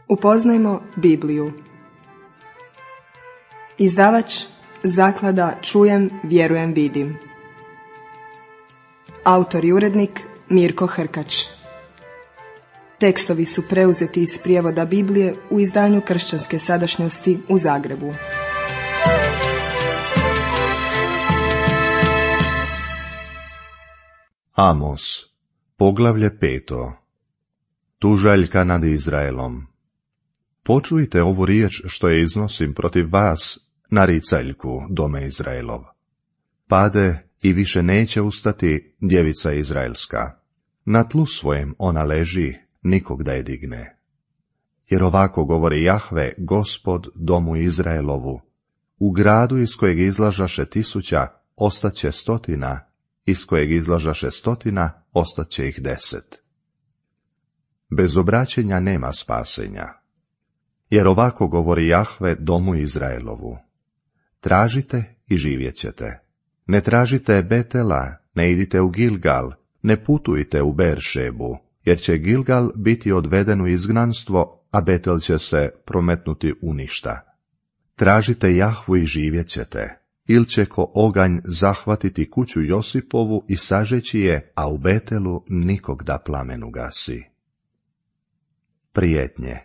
Upoznajmo Bibliju. Izdavač Zaklada Čujem, vjerujem, vidim. Autor i urednik Mirko Hrkač. Tekstovi su preuzeti iz prijevoda Biblije u izdanju Kršćanske sadašnjosti u Zagrebu. Amos, poglavlje 5. Tužaljka nad Izraelom. Počujte ovu riječ što je iznosim protiv vas, naricaljku, dome Izraelov. Pade i više neće ustati djevica Izraelska. Na tlu svojem ona leži, nikog da je digne. Jer ovako govori Jahve, Gospod, domu Izraelovu. U gradu iz kojeg izlažaše 1000, ostaće 100, iz kojeg izlažaše 100, ostaće ih 10. Bez obraćenja nema spasenja. Jer ovako govori Jahve, domu Izraelovu. Tražite i živjet ćete. Ne tražite Betela, ne idite u Gilgal, ne putujte u Beršebu, jer će Gilgal biti odveden u izgnanstvo, a Betel će se prometnuti u ništa. Tražite Jahvu i živjet ćete, ili će ko oganj zahvatiti kuću Josipovu i sažeći je, a u Betelu nikog da plamenu gasi. Prijetnje.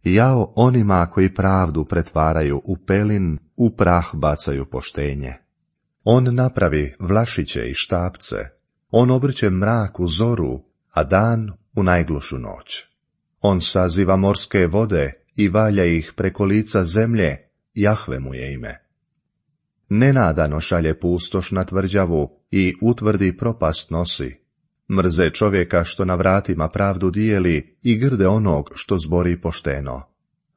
Jao onima koji pravdu pretvaraju u pelin, u prah bacaju poštenje. On napravi vlašiće i štapce, on obrće mrak u zoru, a dan u najglušu noć. On saziva morske vode i valja ih preko lica zemlje, Jahve mu je ime. Nenadano šalje pustoš na tvrđavu i utvrdi propast nosi. Mrze čovjeka što na vratima pravdu dijeli i grde onog što zbori pošteno.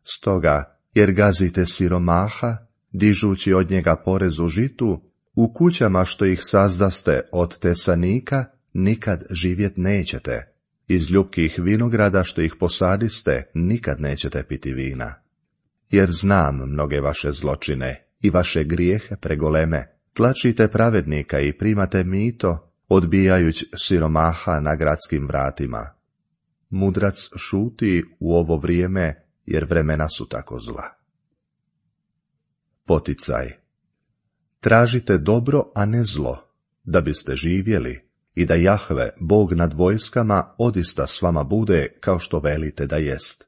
Stoga, jer gazite siromaha, dižući od njega porez u žitu, u kućama što ih sazdaste od tesanika, nikad živjet nećete. Iz ljubkih vinograda što ih posadiste, nikad nećete piti vina. Jer znam mnoge vaše zločine i vaše grijehe pregoleme. Tlačite pravednika i primate mito, odbijajući siromaha na gradskim vratima. Mudrac šuti u ovo vrijeme, jer vremena su tako zla. Poticaj. Tražite dobro, a ne zlo, da biste živjeli i da Jahve, Bog nad vojskama, odista s vama bude kao što velite da jest.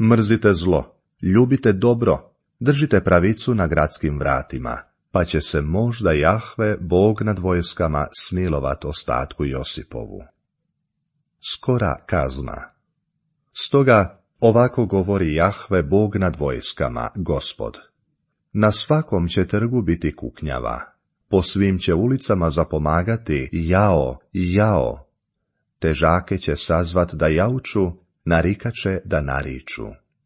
Mrzite zlo, ljubite dobro, držite pravicu na gradskim vratima, pa će se možda Jahve, Bog nad vojskama, smilovat ostatku Josipovu. Skora kazna. Stoga ovako govori Jahve, Bog nad vojskama, Gospod. Na svakom će trgu biti kuknjava, po svim će ulicama zapomagati jao, jao. Težake će sazvat da jauču, narikače da nariču.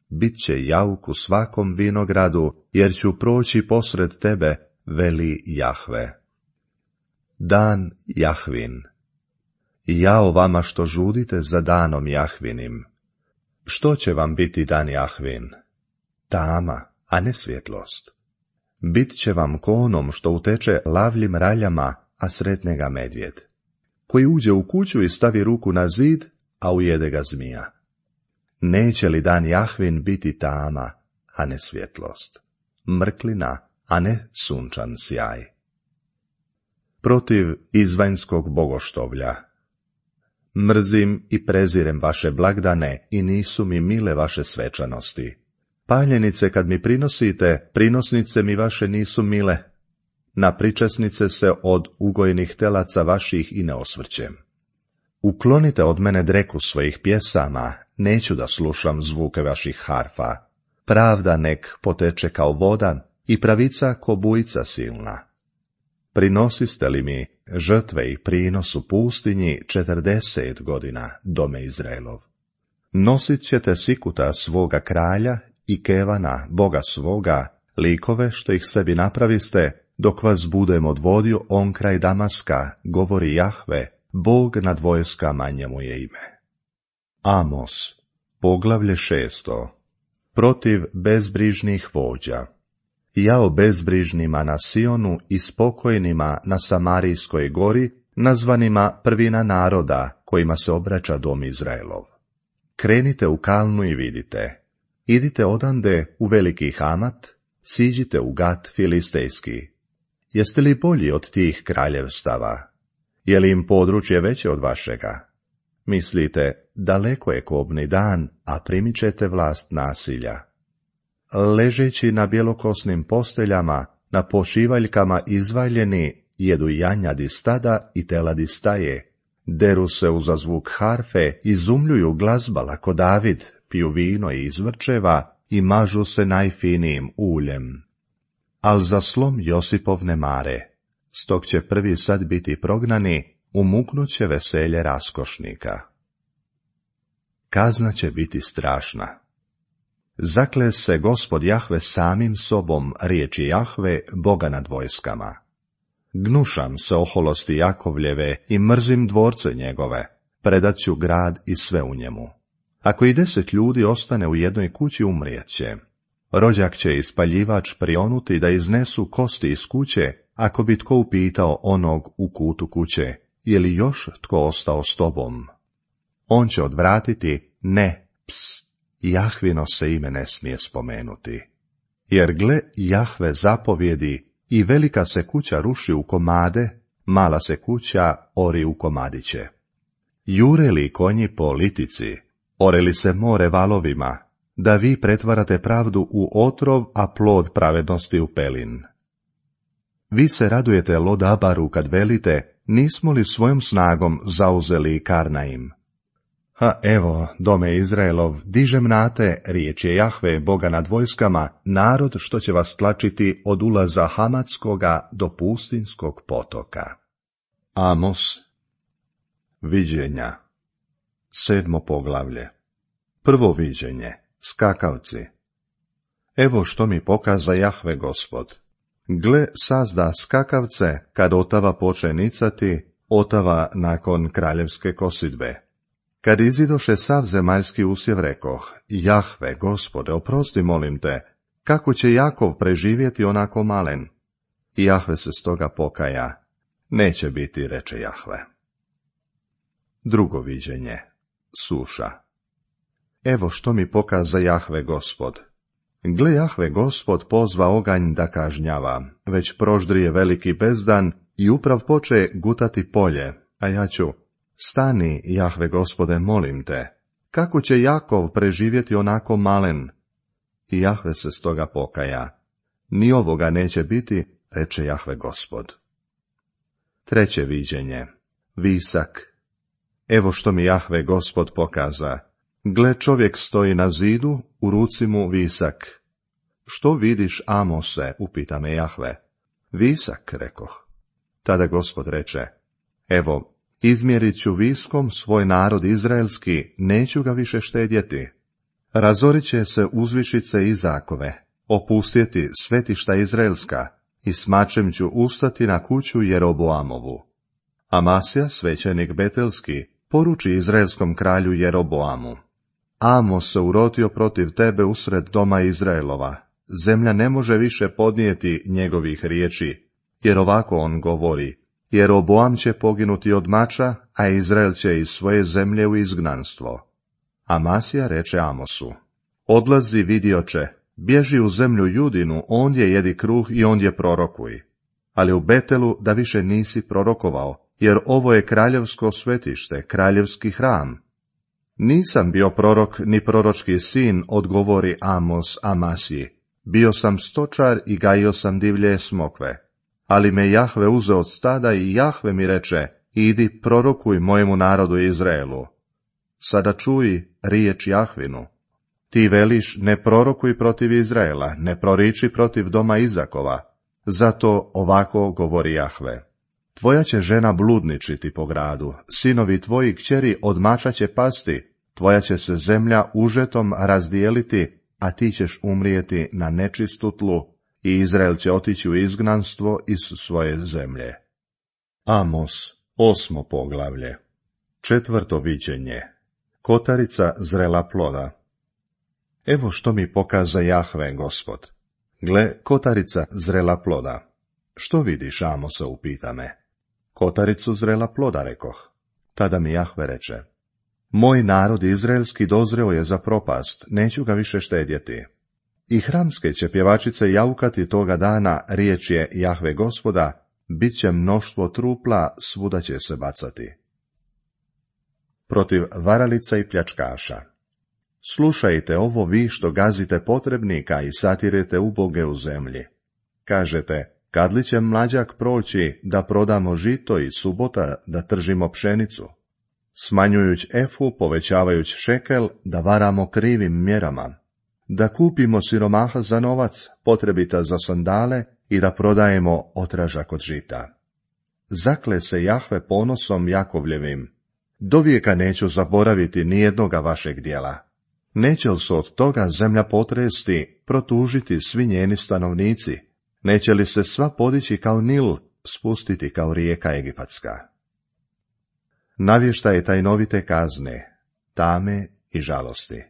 Bit će jauk u svakom vinogradu, jer ću proći posred tebe, veli Jahve. Dan Jahvin. Jao vama što žudite za danom Jahvinim. Što će vam biti dan Jahvin? Tama, a ne svjetlost. Bit će vam ko onom što uteče lavljim raljama, a sretne ga medvjed, koji uđe u kuću i stavi ruku na zid, a ujede ga zmija. Neće li dan Jahvin biti tama, a ne svjetlost, mrklina, a ne sunčan sjaj? Protiv izvanjskog bogoštovlja. Mrzim i prezirem vaše blagdane i nisu mi mile vaše svečanosti. Paljenice kad mi prinosite, prinosnice mi vaše nisu mile. Na pričesnice se od ugojnih telaca vaših i ne osvrćem. Uklonite od mene dreku svojih pjesama, neću da slušam zvuke vaših harfa. Pravda nek poteče kao voda i pravica ko bujica silna. Prinosiste li mi žrtve i prinos u pustinji 40 godina, dome Izraelov? Nosit ćete sikuta svoga kralja i kevana, Boga svoga, likove što ih sebi napraviste, dok vas budem odvodio on kraj Damaska, govori Jahve, Bog nad vojskama, njemu je ime. Amos, poglavlje 6. Protiv bezbrižnih vođa. Jao bezbrižnima na Sionu i spokojnima na Samarijskoj gori, nazvanima prvina naroda, kojima se obraća dom Izraelov. krenite u Kalnu i vidite. Idite odande u veliki Hamat, siđite u Gat filistejski. Jeste li bolji od tih kraljevstava? Je li im područje veće od vašega? Mislite, daleko je kobni dan, a primit ćete vlast nasilja. Ležeći na bjelokosnim posteljama, na pošivaljkama izvaljeni, jedu janjadi stada i teladi staje, deru se uza zvuk harfe, izumljuju glazbala ko David, piju vino i izvrčeva i mažu se najfinijim uljem. Al za slom Josipov ne mare, stog će prvi sad biti prognani, umuknuće veselje raskošnika. Kazna će biti strašna. Zakle se Gospod Jahve samim sobom, riječi Jahve, Boga nad vojskama. Gnušam se oholosti Jakovljeve i mrzim dvorce njegove, predat ću grad i sve u njemu. Ako i 10 ljudi ostane u jednoj kući, umrijet će. Rođak će ispaljivač prionuti da iznesu kosti iz kuće, ako bi tko upitao onog u kutu kuće, je li još tko ostao s tobom? On će odvratiti, ne, Jahvino se ime ne smije spomenuti. Jer gle, Jahve zapovjedi i velika se kuća ruši u komade, mala se kuća ori u komadiće. Jure li konji po litici, ore li se more valovima, da vi pretvarate pravdu u otrov, a plod pravednosti u pelin. Vi se radujete Lodabaru kad velite, nismo li svojom snagom zauzeli Karnaim? Ha, evo, dome Izraelov, dižem na te, riječ je Jahve, Boga nad vojskama, narod što će vas tlačiti od ulaza Hamatskoga do pustinskog potoka. Amos. Viđenja. 7. poglavlje. Prvo viđenje. Skakavci. Evo što mi pokaza Jahve Gospod. Gle, sazda skakavce, kad otava poče nicati, otava nakon kraljevske kosidbe. Kad izidoše sav zemaljski usjev, rekoh, Jahve, Gospode, oprosti molim te, kako će Jakov preživjeti onako malen? I Jahve se stoga pokaja, neće biti, reče Jahve. Drugo viđenje. Suša. Evo što mi pokaza Jahve Gospod. Gle, Jahve Gospod pozva oganj da kažnjava, već proždrije veliki bezdan i uprav poče gutati polje, a ja ću, stani, Jahve Gospode, molim te, kako će Jakov preživjeti onako malen? I Jahve se stoga pokaja, ni ovoga neće biti, reče Jahve Gospod. Treće viđenje. Visak. Evo što mi Jahve Gospod pokaza. Gle, čovjek stoji na zidu, u ruci mu visak. Što vidiš, Amose, upita me Jahve. Visak, rekoh. Tada Gospod reče, evo, izmjerit ću viskom svoj narod izraelski, neću ga više štedjeti. Razorit će se uzvišice Izakove, opustjeti svetišta izraelska, i s mačem ću ustati na kuću Jeroboamovu. Amasija, svećenik betelski, poruči izraelskom kralju Jeroboamu. Amos se urotio protiv tebe usred doma Izraelova. Zemlja ne može više podnijeti njegovih riječi, jer ovako on govori, Jeroboam će poginuti od mača, a Izrael će iz svoje zemlje u izgnanstvo. Amasija reče Amosu, odlazi, vidioče, bježi u zemlju Judinu, ondje jedi kruh i ondje prorokuj. Ali u Betelu da više nisi prorokovao, jer ovo je kraljevsko svetište, kraljevski hram. Nisam bio prorok ni proročki sin, odgovori Amos Amasiji. Bio sam stočar i gajio sam divlje smokve. Ali me Jahve uzeo od stada i Jahve mi reče, idi prorokuj mojemu narodu Izraelu. Sada čuj riječ Jahvinu. Ti veliš, ne prorokuj protiv Izraela, ne proriči protiv doma Izakova. Zato ovako govori Jahve. Tvoja će žena bludničiti po gradu, sinovi tvoji kćeri od mača će pasti, tvoja će se zemlja užetom razdijeliti, a ti ćeš umrijeti na nečistu tlu, i Izrael će otići u izgnanstvo iz svoje zemlje. Amos, 8. poglavlje. 4. viđenje. Kotarica zrela ploda. Evo što mi pokaza Jahve Gospod. Gle, kotarica zrela ploda. Što vidiš, Amose, upita me. Kotaricu zrela ploda, rekoh. Tada mi Jahve reče, Moj narod izraelski dozreo je za propast, neću ga više štedjeti. I hramske će pjevačice jaukati toga dana, riječ je Jahve Gospoda, bit će mnoštvo trupla, svuda će se bacati. Protiv varalica i pljačkaša. Slušajte ovo vi što gazite potrebnika i satirete uboge u zemlji. Kažete, kad li će mlađak proći da prodamo žito i subota da tržimo pšenicu? Smanjujući efu, povećavajući šekel, da varamo krivim mjerama. Da kupimo siromaha za novac, potrebita za sandale i da prodajemo otražak od žita. Zakle se Jahve ponosom Jakovljevim. Dovijeka neću zaboraviti nijednoga vašeg djela. Neće li se od toga zemlja potresti, protužiti svi njeni stanovnici? Neće li se sva podići kao Nil, spustiti kao rijeka Egipatska? Navještaje tajnovite kazne, tame i žalosti.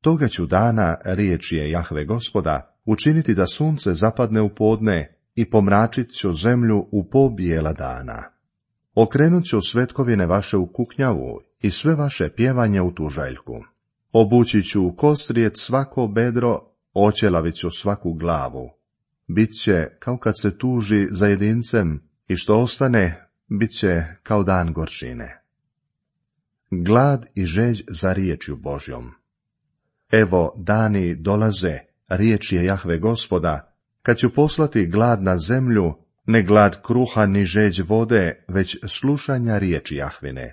Toga ću dana, riječ je Jahve Gospoda, učiniti da sunce zapadne u podne i pomračit ću zemlju u pobijela dana. Okrenut ću svetkovine vaše u kuknjavu i sve vaše pjevanje u tužaljku. Obući ću u kostrijec svako bedro, oćelavit ću svaku glavu. Biće kao kad se tuži za jedincem i što ostane, bit će kao dan gorčine. Glad i žeđ za riječju Božjom. Evo, dani dolaze, riječ je Jahve Gospoda, kad ću poslati glad na zemlju, ne glad kruha ni žeđ vode, već slušanja riječi Jahvine.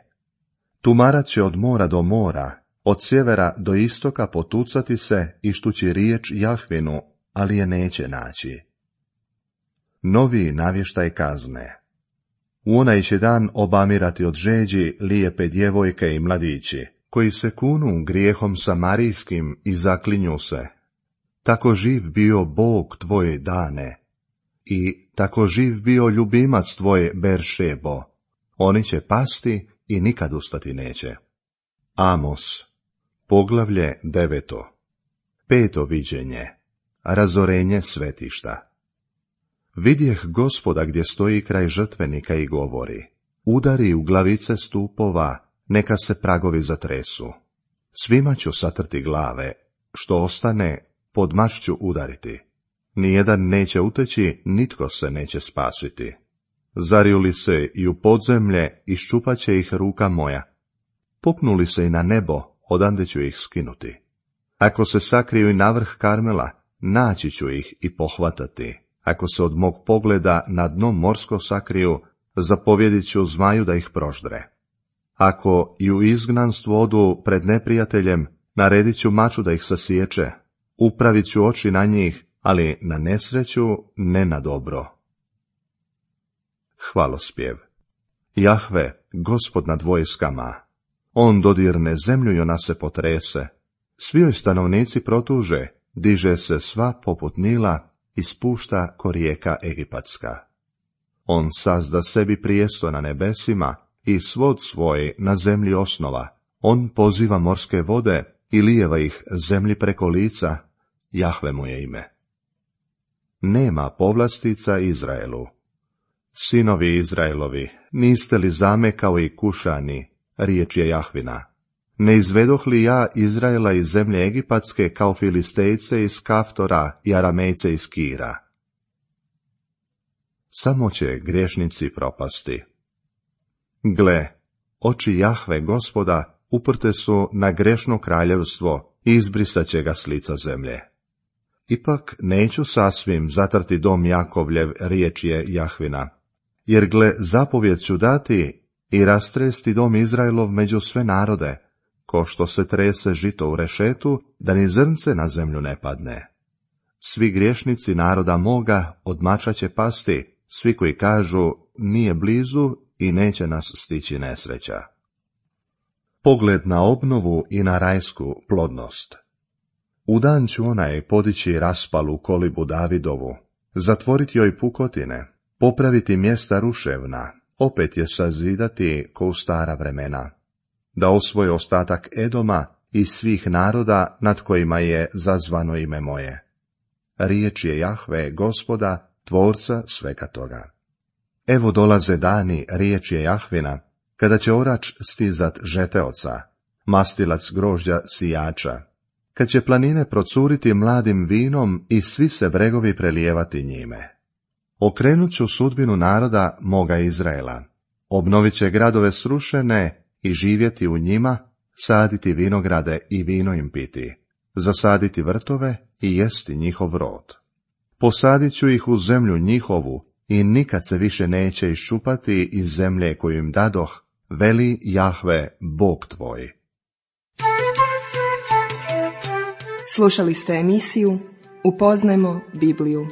Tumarat će od mora do mora, od sjevera do istoka potucati se i štući riječ Jahvinu, ali je neće naći. Novi navještaj kazne. U onaj će dan obamirati od žeđi lijepe djevojke i mladići, koji se kunu grijehom samarijskim i zaklinju se. Tako živ bio Bog tvoj Dane, i tako živ bio ljubimac tvoj Beršebo. Oni će pasti i nikad ustati neće. Amos, poglavlje 9. 5. viđenje. Razorenje svetišta. Vidjeh Gospoda gdje stoji kraj žrtvenika i govori, udari u glavice stupova, neka se pragovi zatresu. Svima ću satrti glave, što ostane, pod mač ću udariti. Nijedan neće uteći, nitko se neće spasiti. Zariju li se i u podzemlje, iščupat će ih ruka moja. Popnuli se i na nebo, odande ću ih skinuti. Ako se sakriju i na vrh Karmela, naći ću ih i pohvatati. Ako se od mog pogleda na dno morsko sakriju, zapovjedit ću zmaju da ih proždre. Ako i u izgnanstvo odu pred neprijateljem, naredit ću maču da ih sasječe. Upravit ću oči na njih, ali na nesreću, ne na dobro. Hvalospjev. Jahve, Gospod nad vojskama. On dodirne zemlju i ona se potrese. Svi joj stanovnici protuže, diže se sva poput Nila i spušta ko rijeka Egipatska. On sazda sebi prijesto na nebesima i svod svoj na zemlji osnova. On poziva morske vode i lijeva ih zemlji preko lica. Jahve mu je ime. Nema povlastica Izraelu. Sinovi Izraelovi, niste li zame kao i Kušani, riječ je Jahvina. Ne izvedoh li ja Izraela iz zemlje Egipatske kao Filistejce iz Kaftora i Aramejce iz Kira? Samo će griješnici propasti. Gle, oči Jahve Gospoda uprte su na grešno kraljevstvo i izbrisat će ga s lica zemlje. Ipak neću sasvim zatrti dom Jakovljev, riječ je Jahvina, jer gle, zapovjed ću dati i rastresti dom Izraelov među sve narode, ko što se trese žito u rešetu, da ni zrnce na zemlju ne padne. Svi griješnici naroda moga od mača će pasti, svi koji kažu nije blizu i neće nas stići nesreća. Pogled na obnovu i na rajsku plodnost. U dan ću onaj podići raspalu kolibu Davidovu, zatvoriti joj pukotine, popraviti mjesta ruševna, opet je sazidati ko u stara vremena, da osvoji ostatak Edoma i svih naroda nad kojima je zazvano ime moje. Riječ je Jahve, Gospoda, tvorca svega toga. Evo dolaze dani, riječ je Jahvina, Kada će orač stizat žeteoca, mastilac grožđa sijača, kad će planine procuriti mladim vinom i svi se bregovi prelijevati njime. Okrenut ću sudbinu naroda moga Izraela, obnovit će gradove srušene i živjeti u njima, saditi vinograde i vino im piti, zasaditi vrtove i jesti njihov rod. Posadit ću ih u zemlju njihovu i nikad se više neće iščupati iz zemlje koju im dadoh, veli Jahve, Bog tvoj. Slušali ste emisiju Upoznajmo Bibliju.